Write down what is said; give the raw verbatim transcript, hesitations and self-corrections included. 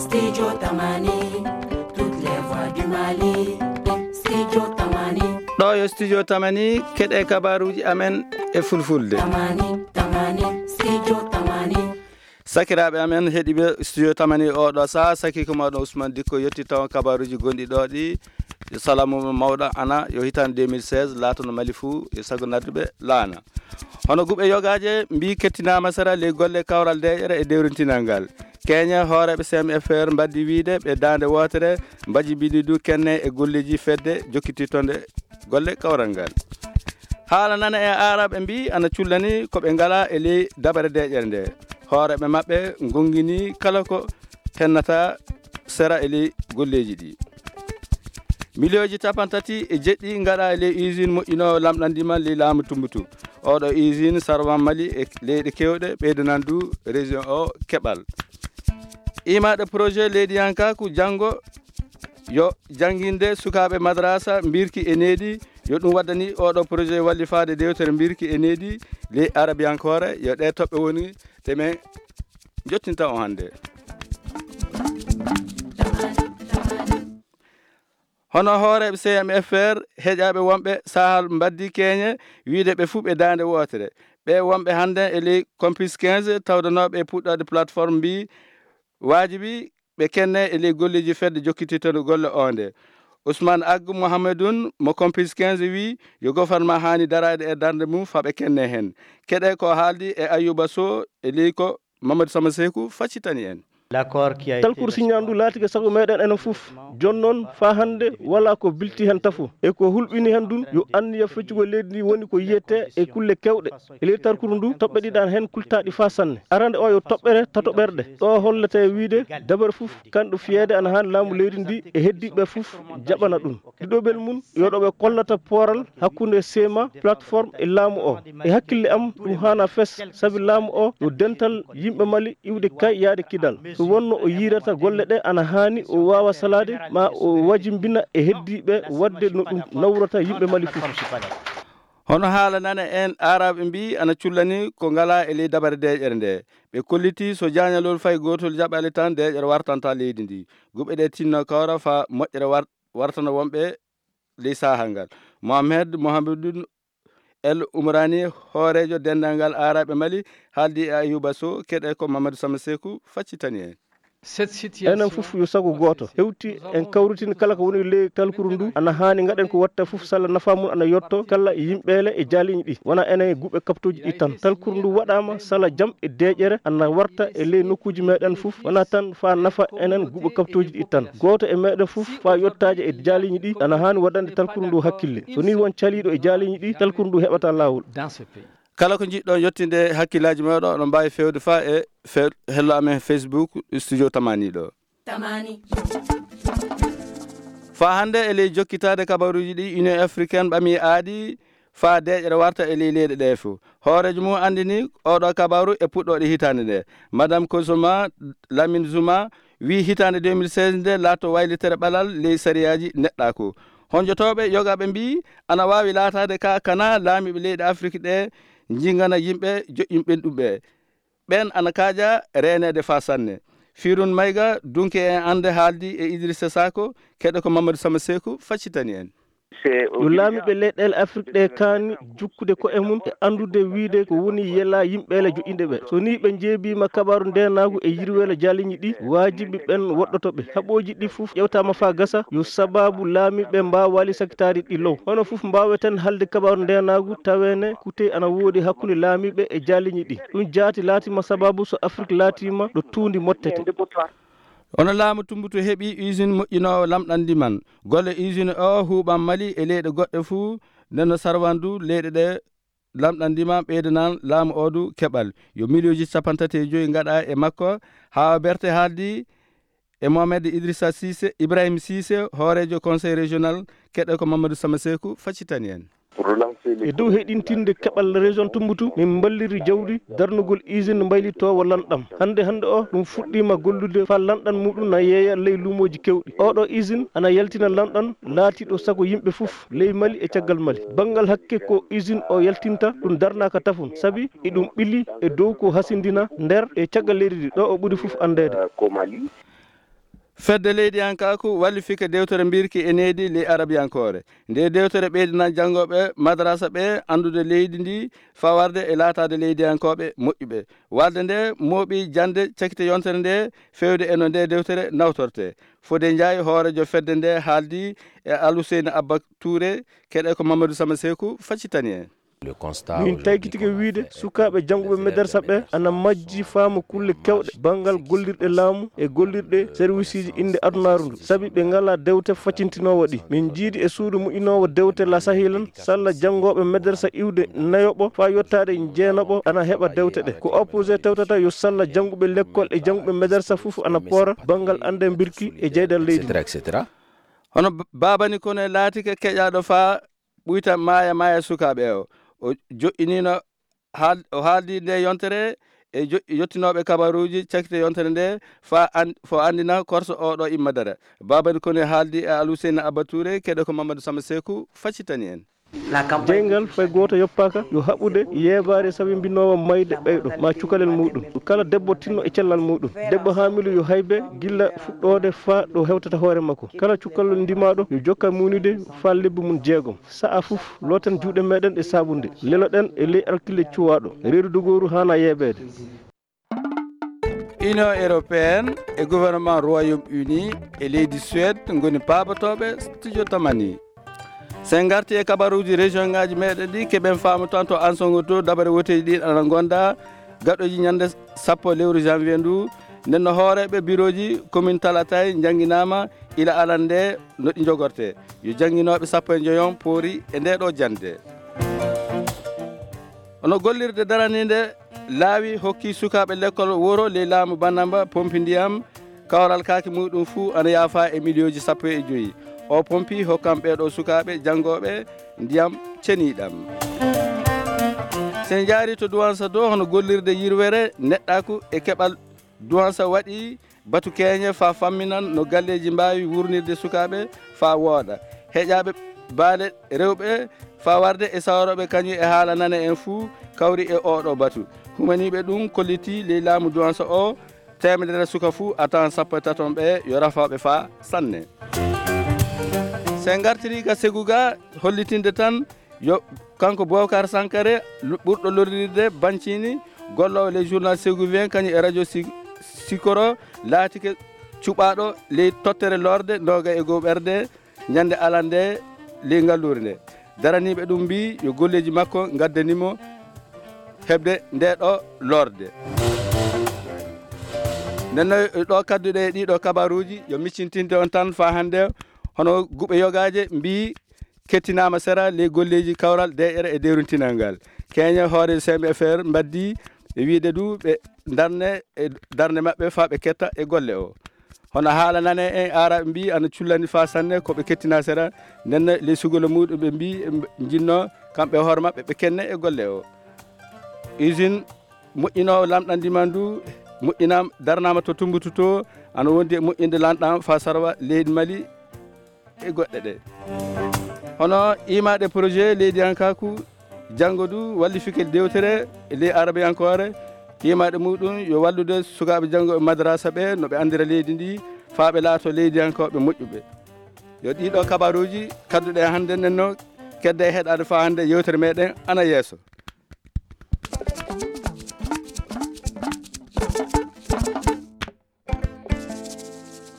Studio Tamani, toutes les voix du Mali. Studio Tamani. Ɗo yo Studio Tamani, keɗe kabaruji amen e fulfulde. Tamani, Tamani, Studio Tamani. Sakiraaɓe amen heɗiiɓe Studio Tamani oɗo saha, saki ko mawɗo Ousmane Dikko yetti taw kabaruji gonɗi ɗo ɗi. Yo salamu mawɗo ana yo hitande deux mille seize laatono Mali fuu e sago nadduɓe laana. Hono guɓe yogaaje mbi kettinaama sera ley golle kawral deeƴere e dewrintinal ngal. Keñe hooreeɓe C M F R mbaddi wiide ɓe daande wootere mbaji bidi du kenne e golleji fedde jokkititonde golle kawral ngal. Haala nana e aaraɓe mbi ana cullani ko ɓe ngala e ley dabare deeƴere nde. Hooreeɓe maɓɓe ngongini kala ko hennata sera e ley golleji ɗi. Miliyooji capantati e jeɗɗi ngaɗa e ley usine moƴƴinoowo lamɗandi man ley laamu Tumbutu. Oɗo usine sarwan Mali e leyɗe kewɗe ɓeydanan du région o keɓal. Imaɗe projet leydiyankaku janngo yo jannginde sukaaɓe madrasa mbirki e needi, yo ɗum waddani oɗo projet wallifaade dewtere mbirki e needi ley arabiyankoore, yo ɗe toɓɓe woni ɗe men jottinta on hannde. Hono hooreeɓe C M F R heƴaaɓe wonɓe sahal mbaddi keñe wiide ɓe fuu ɓe daande wootere. Ɓe wonɓe hannde e ley Compis quinze tawdanooɓe e puɗɗoode plateforme mbi waajibi ɓe kenne e ley golleji fedde jokkititoɗo golle o nde. Ousmane Agg Mohamedoun mo Compis quinze wi yo gouvernement haani daraade e darnde mum fa ɓe kenne heen. Keɗe ko haaldi e Ayouba Sow e ley ko Mamadou Sama Seeku faccitani en. Talkuru siññaandu laatike sago meɗen enen fof. Jooni noon faa hannde walaa ko bilti heen tafo. E ko hulɓini heen ɗum yo anniya feccugol leydi ndi woni ko yiyetee e kulle keewɗe. E ley talkuru ndu toɓɓe ɗiɗi ana heen kultaaɗi faa sanne. Arande o yo toɓɓere tato ɓerɗe. Ɗo hollete wiyde dabare fof kanɗo fiyeede ana haani laamu leydi ndi e heddiiɓe fof jaɓana ɗum. Ɗiɗoɓel mum yo ɗo ɓe kollata pooral hakkunde C M A plateforme e laamu o. E hakkille am ɗum haana fes sabi laamu o yo dental yimɓe Mali iwde kay yaade kidal. So wonno o yiirata golle ɗe ana haani o waawa salaade ma o wajimbina e heddiiɓe waɗde no ɗum nawrata yimɓe Mali fof. Hono haala nane en aaraɓe mbi ana cullani ko ngala e ley dabare deeƴere nde. Ɓe kolliti so jaañalol fay gootol jaɓale tan deeƴere wartanta leydi ndi. Guɓe ɗe tinno kawra fa moƴƴere war-, wartana wonɓe ley saahal ngal. Mohamed Mohamedou El Umrani, hooreejo denndaangal aaraɓe Mali, haaldi e Ayuba Sow, keɗe ko Mamadou Sama Seeku faccitani en. Enen fof yo sago gooto hewti en kawritin kala ko woni ley talkuru ndu. Ana haani ngaɗen ko watta fof sala nafa mum ana yotto kala yimɓeele e jaaliñi ɗi. Wona enen e guɓe kaptooji ɗi tan. Talkuru ndu waɗaama sala jam e deeƴere ana warta e ley nokkuuji meɗen fof. Wona tan faa nafa enen guɓe kaptooji ɗi tan. Gooto e meɗen fof faa yottaaje e jaaliñi ɗi ana haani waɗande talkuru ndu hakkille. So nii won caliiɗo e jaaliñi ɗi, talkuru ndu heɓata laawol. Kala ko njiɗɗon yettinde hakkillaaji mooɗon, oɗon mbaawi feewde faa e fe-, hello amen Facebook, Studio Tamani ɗo. Tamani. Faa hannde e ley jokkitaade kabaruuji ɗi, Union Africaine ɓami aadi faa deeƴere warta e ley leyɗe ɗee fof. Hooreejo mum anndini oɗo kabaru e puɗɗooɗe hitaande nde. Madame Kozoma Lamine Zuma wii hitaande deux mille seize nde laatto waylitere ɓalal ley sariyaaji neɗɗaaku. Honjotooɓe yogaaɓe mbii ana waawi laataade ka kana laamiiɓe leyɗe Afrik ɗe njingana yimɓe joƴƴinɓe ɗum ɓe. Ɓeen ana kaaja reeneede faa sanne. Firun Mayga, dunke en annde haaldi e Idrissa Sako, keɗe ko Mamadou Sama Seeku faccitani en. Yo laamiiɓe leyɗeele Afrik ɗe kaani jukkude ko'e mum e anndude wiyde ko woni yela yimɓeele joƴƴinɓe ɓe. So nii ɓe njeebiima kabaaru ndeenaagu e yirweele jaaliñi ɗi, waajibi ɓeen woɗɗoto ɓe. Haɓooji ɗi fof ƴeewtaama faa gasa, yo sabaabu laamiiɓe mbaawaali sakitaade ɗi low. Hono fof mbaaweten haalde kabaaru ndeenaagu taweene kute ana woodi hakkunde laamiiɓe e jaaliñi ɗi. Ɗum jaati laatiima sabaabu so Afrik laatiima ɗo tuundi mottete. Hono laamu Tumbutu heɓi usine moƴƴinoowo lamɗandi man. Golle usine o huuɓan Mali e leyɗe goɗɗe fuu, nden no sarwandu leyɗe ɗe lamɗandi ma ɓeydanan laamu o du keɓal. Yo miliyooji cappanɗe tati e joyi ngaɗa e makko. Haa berte haaldi e Mohamed Idrissa Cissé, Ibrahim Cissé, hooreejo Conseil Régional, keɗe ko Mamadou Sama Seeku faccitani en. E dow heɗintinde keɓal région Tumbutu, min mballiri jawdi darnugol usine mbaylitoowo lanɗam. Hannde hannde o, ɗum fuɗɗiima gollude faa lanɗan muɗum na yeeya ley luumooji keewɗi. Oɗo usine ana yaltina lanɗan laatiiɗo sago yimɓe fof ley Mali e caggal Mali. Banngal hakke ko usine o yaltinta, ɗum darnaaka tafon, sabi iɗum ɓili e dow ko hasindina nder e caggal leydi ndi, ɗo o ɓuri fof anndeede. Fedde leydiyankaaku wallifike dewtere mbirki e needi ley arabiyankoore. Nde dewtere ɓeydinan janngooɓe madrasa ɓe anndude leydi ndi faa warde e laataade leydiyankooɓe moƴƴuɓe. Walde nde mooɓi jannde cakite yontere nde feewde e no nde dewtere nawtortee. Fodé Ndiaye, hooreejo fedde nde, haaldi e Aluseyni Abba Touré, keɗe ko Mamadou Sama Seeku faccitani en. Min taykitike wiyde sukaaɓe jannguɓe medersa ɓe ana majji faamu kulle keewɗe banngal gollirɗe laamu e gollirɗe serwisiji innde adunaaru ndu, sabi ɓe ngalaa dewte faccintinoowo ɗi. Min njiidi e suudu moƴƴinoowo dewte La Sahilan, salla janngooɓe medersa iwde nayoɓo faa yottaade jeenaɓo ana heɓa dewte ɗe. Ko opposé tawtata yo salla jannguɓe lekkol e jannguɓe medersa fof ana poora banngal annde mbirki e jeyɗal leydi. Hono Babani Kone laatike keƴaaɗo faa ɓuyta maaya maaya sukaaɓe o. O joƴƴiniino haal-, o haaldi nde yontere e jo-, yottinooɓe kabaruuji cakite yontere nde faa an-, fo anndina korso oɗo imma dara. Babani Kone haaldi e Aluseyni Abba Touré, keɗe ko Mamadou Sama Seeku faccitani en. Jeyngal fay gooto yoppaaka yo haɓude yeebaare sabi mbinoowo mayde ɓeyɗo ma cukalel muɗum. Kala debbo tinno e cellal muɗum. Debbo haamilu yo haybe gilla fuɗɗoode faa ɗo hewtata hoore makko. Kala cukalel ndimaaɗo yo jokka muunude faa lebbi mum jeegom. Sa'a fof looten juuɗe meɗen e saabunde. Leloɗen e ley alkille cuwaaɗo. Reedu dogooru haana yeebeede. Union européenne e gouvernement Royaume-Uni e leydi Suède ngoni paabotooɓe studio Tamani. Sen ngarti e kabaruuji région ngaaji meɗen ɗi, keɓen faamu tan to Ansongo to dabare woteeji ɗin ana ngonda gaɗoji ñande sappo lewru janvier ndu. Nden no hooreeɓe birooji commune Talatay njannginaama ila alan nde no ɗi njogortee. Yo jannginooɓe sappo e njoyon poori e nde ɗo jannde. Ono gollirde daraniinde laawi hokki sukaaɓe lekkol woro ley laamu Bannamba pompi ndiyam, kawral kaaki muɗum fuu ana yaafa e miliyooji sappo e joyi. O pompi hokkan ɓee ɗo sukaaɓe janngooɓe ndiyam ceniiɗam. Sen njaari to Duwansa do, hono gollirde yirwere neɗɗaaku e keɓal Duwansa waɗi batu keeñe faa famminan no galleeji mbaawi wurnirde sukaaɓe faa wooɗa. Heƴaaɓe baale rewɓe faa warde e sawrooɓe kañum e haala nane en fuu kawri e oo ɗoo batu. Humaniiɓe ɗum kollitii ley laamu Duwansa o, teemedere suka fuu a tawan sappo e taton ɓe yo rafooɓe faa sanne. Sen ngartirii ka Segu ga hollitinde tan yo kanko Boubacar Sankare lu-, ɓurɗo lorrirde Bancini, golloowo ley journal Ségou vingt kañum e radio Si-, Sikoro, laatike cuɓaaɗo ley tottere lorde nooga e goo ɓerde ñande alande ley ngalluure nde. Daraniiɓe ɗum mbii yo golleeji makko ngaddani mo heɓde nde ɗo lorde. Nden no ɗo kadduɗe e ɗiɗo kabaruuji yo miccintinde on tan faa hannde, hono guɓe yogaaje mbii kettinaama sera ley golleeji kawral deeƴere e dewrintinal ngal. Keeñe hoore C M F R mbaddi e wiide du ɓe ndarne e darnde maɓɓe faa ɓe ketta e golle o. Hono haala nane en aaraaɓe mbii ana cullani faa sanne ko ɓe kettina sera, nden ley sugolo muɗum ɓe mbii ɓe njinno kamɓe hoore maɓɓe ɓe kenne e golle o. Usine moƴƴinoowo lamɗam ndiman du moƴƴinaama, darnaama to Tumbutu to, ana wondi e moƴƴinde lanɗam faa sarwa leydi Mali e goɗɗe ɗe. Hono imaɗe projet leydiyankaaku, janngo du wallifike dewtere e ley arabiyankoore, imaɗe muɗum yo wallude sukaaɓe janngo e madrasa ɓe no ɓe anndira leydi ndi faa ɓe laato leydiyankooɓe moƴƴuɓe. Yo ɗiɗo kabaruuji kadduɗe hannde nden no kedde e heɗaade faa hannde yewtere meɗen ana yeeso.